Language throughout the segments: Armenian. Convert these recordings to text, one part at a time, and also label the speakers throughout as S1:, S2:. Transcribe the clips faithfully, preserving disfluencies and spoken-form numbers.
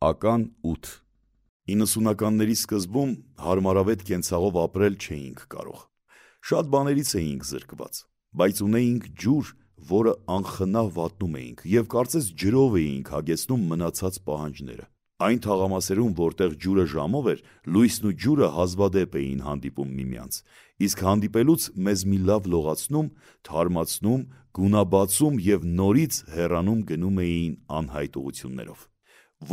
S1: Ական ութ իննսունականների սկզբում հարմարավետ կենցաղով ապրել չէինք կարող, շատ բաներից էինք զրկված, բայց ունեինք ջուր, որը անխնավ վատնում էինք և կարծես ջրով էինք հագեցնում մնացած պահանջները, այն թաղամասերում, որտեղ ջուրը ժամով էր, լույսն ու ջուրը հազվադեպ էին հանդիպում միմյանց, իսկ հանդիպելուց մեզ մի լավ լողացնում, թարմացնում, գունաբացում և նորից հեռանում գնում էին անհայտ ուղղություններով,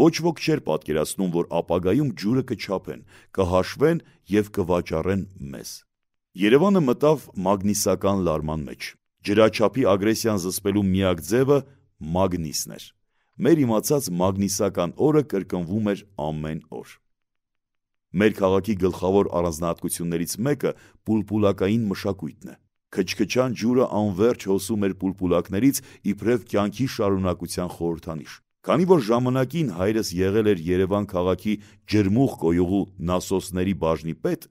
S1: ոչ ոք չէր պատկերացնում, որ ապագայում ջուրը կչափեն, կհաշվեն և կվաճառեն մեզ, Երևանը մտավ մագնիսական լարման մեջ, ջրաչափի ագրեսիան զսպելու միակ ձևը մագնիսն էր, մեր իմացած մագնիսական օրը կրկնվում էր ամեն օր, մեր քաղաքի գլխավոր առանձնահատկություններից մեկը պուլպուլակային մշակույթն է, քչքչան ջուրը անվերջ հոսում էր պուլպուլակներից իբրև կյանքի շարունակության խորհրդանիշ, քանի որ ժամանակին հայրս եղել էր Երևան քաղաքի ջրմուղ կոյուղու նասոսների բաժնի պետ,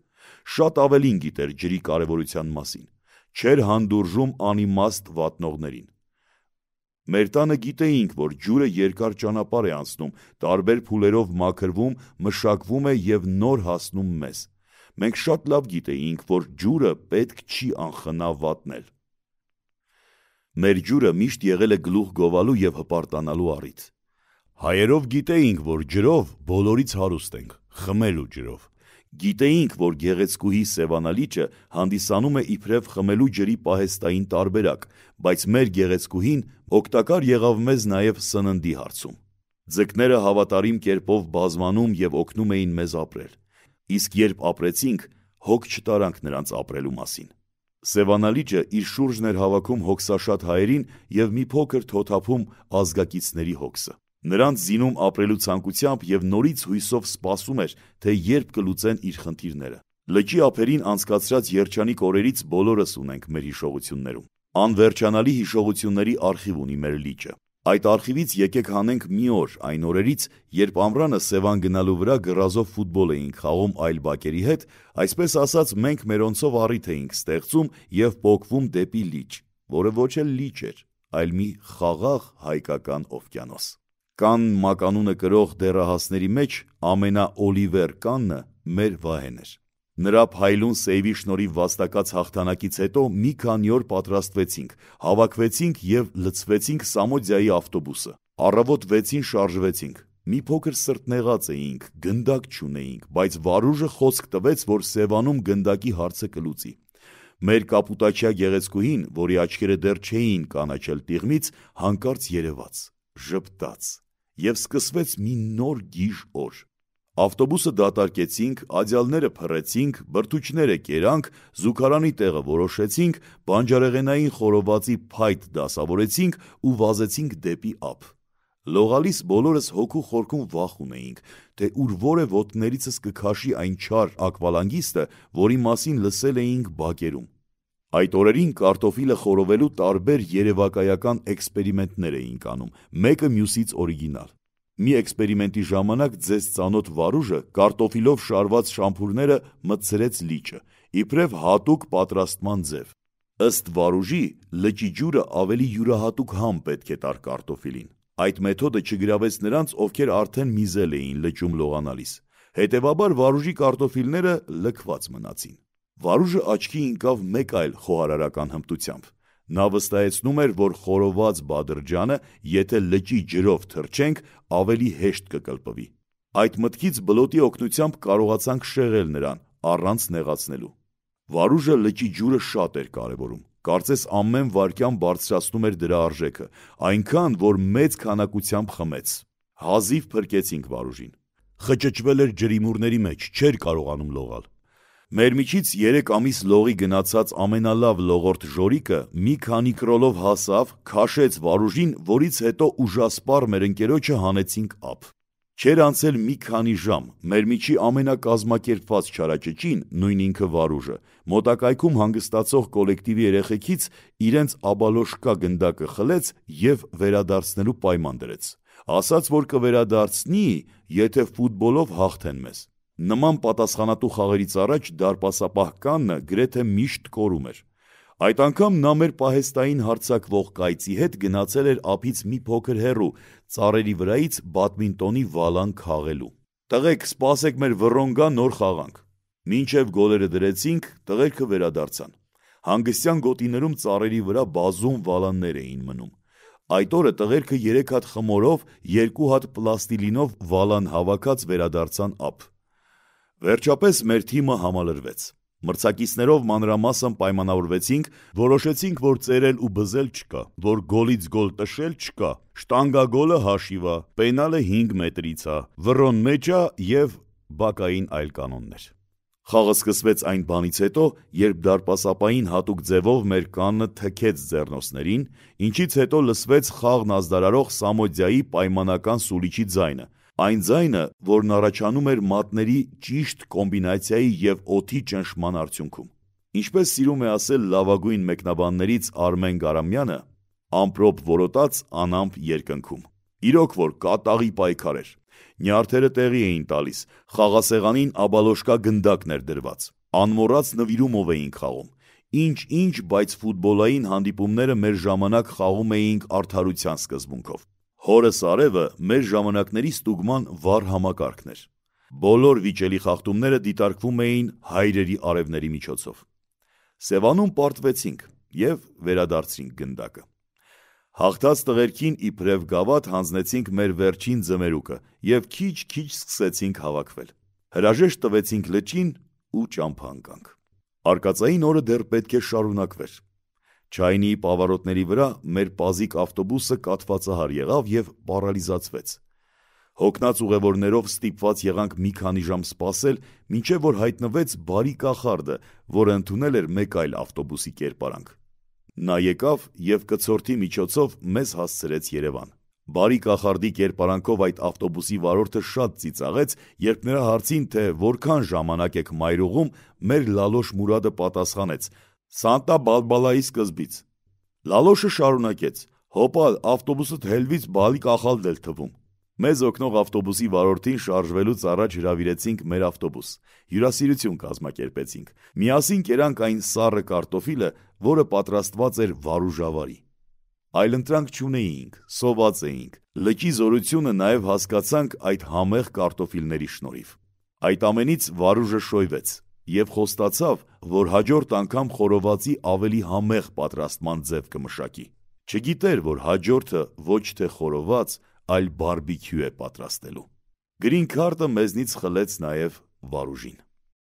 S1: շատ ավելին գիտեր ջրի կարևորության մասին, չէր հանդուրժում անիմաստ վատնողներին, մեր տանը գիտեինք, որ ջուրը երկար ճանապարհ է անցնում, տարբեր փուլերով մաքրվում, մշակվում է և նոր հասնում մեզ, մենք շատ լավ գիտեինք, որ ջուրը պետք չի անխնա վատնել, մեր ջուրը միշտ եղել է գլուխ գովալու և հպարտանալու առիթ, հայերով գիտեինք, որ ջրով բոլորից հարուստ ենք, խմելու ջրով, գիտեինք, որ գեղեցկուհի Սևանալիճը հանդիսանում է իբրև խմելու ջրի պահեստային տարբերակ, բայց մեր գեղեցկուհին օգտակար եղավ մեզ նաև սննդի հարցում, ձկները հավատարիմ կերպով բազմանում և օգնում էին մեզ ապրել, իսկ երբ ապրեցինք, հոգ չտարանք նրանց ապրելու մասին, Սևանալիճը իր շուրջն էր հավաքում հոգսաշատ հայերին և մի փոքր թոթափում ազգակիցների հոգսը, նրանց զինում ապրելու ցանկությամբ և նորից հույսով սպասում էր, թե երբ կլուծեն իր խնդիրները, լճի ափերին անցկացրած երջանիկ օրերից բոլորս ունենք մեր հիշողություններում, անվերջանալի հիշողությունների արխիվ ունի մեր լիճը, այդ արխիվից եկեք հանենք մի օր այն օրերից, երբ ամռանը Սևան գնալու վրա գռազով ֆուտբոլ էինք խաղում այլ բակերի հետ, այսպես ասած մենք մերոնցով առիթ էինք ստեղծում և պոկվում դեպի լիճ, որը ոչ էլ լիճ էր, այլ մի խաղաղ հայկական օվկիանոս, Կանն մականունը կրող դեռահասների մեջ ամենաՕլիվեր Կաննը մեր Վահեն էր, նրա փայլուն սեյվի շնորհիվ վաստակած հաղթանակից հետո մի քանի օր պատրաստվեցինք, հավաքվեցինք և լցվեցինք Սամոձյայի ավտոբուսը, առավոտ վեցին շարժվեցինք, մի փոքր սրտնեղած էինք, գնդակ չունեինք, բայց Վարուժը խոսք տվեց, որ Սևանում գնդակի հարցը կլուծի, մեր կապուտաչյա գեղեցկուհին, որի աչքերը դեռ չէին կանաչել տիղմից, հանկարծ երևաց, ժպտաց և սկսվեց մի նոր գիժ օր, ավտոբուսը դատարկեցինք, աջալները փռեցինք, բրդուճները կերանք, զուգարանի տեղը որոշեցինք, բանջարեղենային խորովածի փայտ դասավորեցինք ու վազեցինք դեպի ափ, լողալիս բոլորս հոգու խորքում վախ ունեինք, թե ուր որ է ոտքներիցս կքաշի այն չար ակվալանգիստը, որի մասին լսել էինք բակերում, այդ օրերին կարտոֆիլը խորովելու տարբեր երևակայական էքսպերիմենտներ էինք անում, մեկը մյուսից օրիգինալ, մի էքսպերիմենտի ժամանակ ձեզ ծանոթ Վարուժը կարտոֆիլով շարված շամփուրները մտցրեց լիճը, իբրև հատուկ պատրաստման ձև, ըստ Վարուժի լճի ջուրը ավելի յուրահատուկ համ պետք է տար կարտոֆիլին, այդ մեթոդը չգրավեց նրանց, ովքեր արդեն միզել էին լճում լողանալիս, հետևաբար Վարուժի կարտոֆիլները լքված մնացին, Վարուժը աչքի ընկավ մեկ այլ խոհարարական հմտությամբ, նա վստահեցնում էր, որ խորոված Բադրջյանը, եթե լճի ջրով թռչենք, ավելի հեշտ կկլպվի, այդ մտքից բլոտի օգնությամբ կարողացանք շեղել նրան, առանց նեղացնելու, Վարուժը լճի ջուրը շատ էր կարևորում, կարծես ամեն վայրկյան բարձրացնում էր դրա արժեքը, այնքան, որ մեծ քանակությամբ խմեց, հազիվ փրկեցինք Վարուժին, խճճվել էր ջրիմուռների մեջ, չէր կարողանում լողալ, մեր միջից երեք ամիս լողի գնացած ամենալավ լողորդ Ժորիկը մի քանի կրոլով հասավ, քաշեց Վարուժին, որից հետո ուժասպառ մեր ընկերոջը հանեցինք ափ, չէր անցել մի քանի ժամ, մեր միջի ամենակազմակերպված չարաճճին, նույն ինքը Վարուժը, մոտակայքում հանգստացող կոլեկտիվի երեխեքից իրենց աբալոշկա գնդակը խլեց և վերադարձնելու պայման դրեց, ասաց, որ կվերադարձնի, եթե ֆուտբոլով հաղթեն մեզ, նման պատասխանատու խաղերից առաջ դարպասապահ Կաննը գրեթե միշտ կորում էր, Այդ անգամ նա մեր պահեստային հարձակվող կայծի հետ գնացել էր ափից մի փոքր հեռու, ծառերի վրայից բադմինտոնի վալան քաղելու։ «Տղեկ, սպասեք, մեր վռոն գա, նոր խաղանք»։ Մինչև գոլերը դրեցինք, տղերքը վերադարձան։ Հանգստյան գոտիներում ծառերի վրա բազում վալաններ էին մնում։ Այդ օրը տղերքը երեք հատ խմորով, երկու հատ պլաստիլինով վալան հավաքած վերադարձան ափ։ Վերջապես մեր թիմը համալրվեց։ Մրցակիցներով մանրամասն պայմանավորվեցինք, որոշեցինք, որ ծերել ու բզել չկա, որ գոլից գոլ տշել չկա, շտանգագոլը հաշիվա, պենալը հինգ մետրից ա, վռոն մեջ ա և բակային այլ կանոններ։ Խաղը սկսվեց այն բանից հետո, երբ դարպասապային հատուկ ձևով մեր կանը թքեց ձեռնոցներին, ինչից հետո լսվեց խաղն ազդարարող Սամոդիայի պայմանական սուլիչի ձայնը, այն ձայնը, որն առաջանում էր մատների ճիշտ կոմբինացիայի և օդի ճնշման արդյունքում։ Ինչպես սիրում է ասել լավագույն մեկնաբաններից Արմեն Գարամյանը, ամպրոպ որոտաց անամպ երկնքում։ Իրոք որ կատաղի պայքար էր։ Նյարդերը տեղի էին տալիս, խաղասեղանին աբալոշկա գնդակն էր դրված, անմոռաց նվիրումով էինք խաղում։ Ինչ-ինչ, բայց ֆուտբոլային հանդիպումները մեր ժամանակ խաղում էինք արդարության սկզբունքով։ Հորս արևը մեր ժամանակների ստուգման վառ համակարգն էր։ Բոլոր վիճելի խախտումները դիտարկվում էին հայրերի արևների միջոցով։ Սևանում պարտվեցինք և վերադարձրինք գնդակը։ Հաղթած տղերքին իբրև գավաթ հանձնեցինք մեր վերջին ձմերուկը և քիչ-քիչ սկսեցինք հավաքվել։ Հրաժեշտ տվեցինք լճին ու ճամփա ընկանք։ Արկածային օրը դեռ պետք է շարունակվեր։ Չայնիի պավարոտների վրա մեր պազիկ ավտոբուսը կաթվածահար եղավ և պարալիզացվեց։ Հոգնած ուղևորներով ստիպված եղանք մի քանի ժամ սպասել, մինչև որ հայտնվեց բարի կախարդը, որը ընդունել էր մեկ այլ ավտոբուսի կերպարանք։ Նա եկավ և կցորդի միջոցով մեզ հասցրեց Երևան։ Բարի կախարդի կերպարանքով այդ ավտոբուսի վարորդը շատ ծիծաղեց, երբ նրա հարցին, թե որքան ժամանակ եք մայրուղում, մեր Լալոշ Մուրադը պատասխանեց. «Սանտա Բալբալայի սկզբից»։ Լալոշը շարունակեց. «Հոպա, ավտոբուսդ հելվից բալի կախալդ էլ թվում»։ Մեզ օգնող ավտոբուսի վարորդին շարժվելուց առաջ հրավիրեցինք մեր ավտոբուս, հյուրասիրություն կազմակերպեցինք։ Միասին կերանք այն սառը կարտոֆիլը, որը պատրաստված էր վարուժավարի։ Այլընտրանք չունեինք, սոված էինք, լճի զորությունը նաև հասկացանք այդ համեղ կարտոֆիլների շնորհիվ։ Այդ ամենից Վարուժը շոյվեց և խոստացավ, որ հաջորդ անգամ խորովածի ավելի համեղ պատրաստման ձև կմշակի։ Չգիտեր, որ հաջորդը ոչ թե խորոված, այլ բարբիքյու է պատրաստելու։ Գրին քարտը մեզնից խլեց նաև Վարուժին։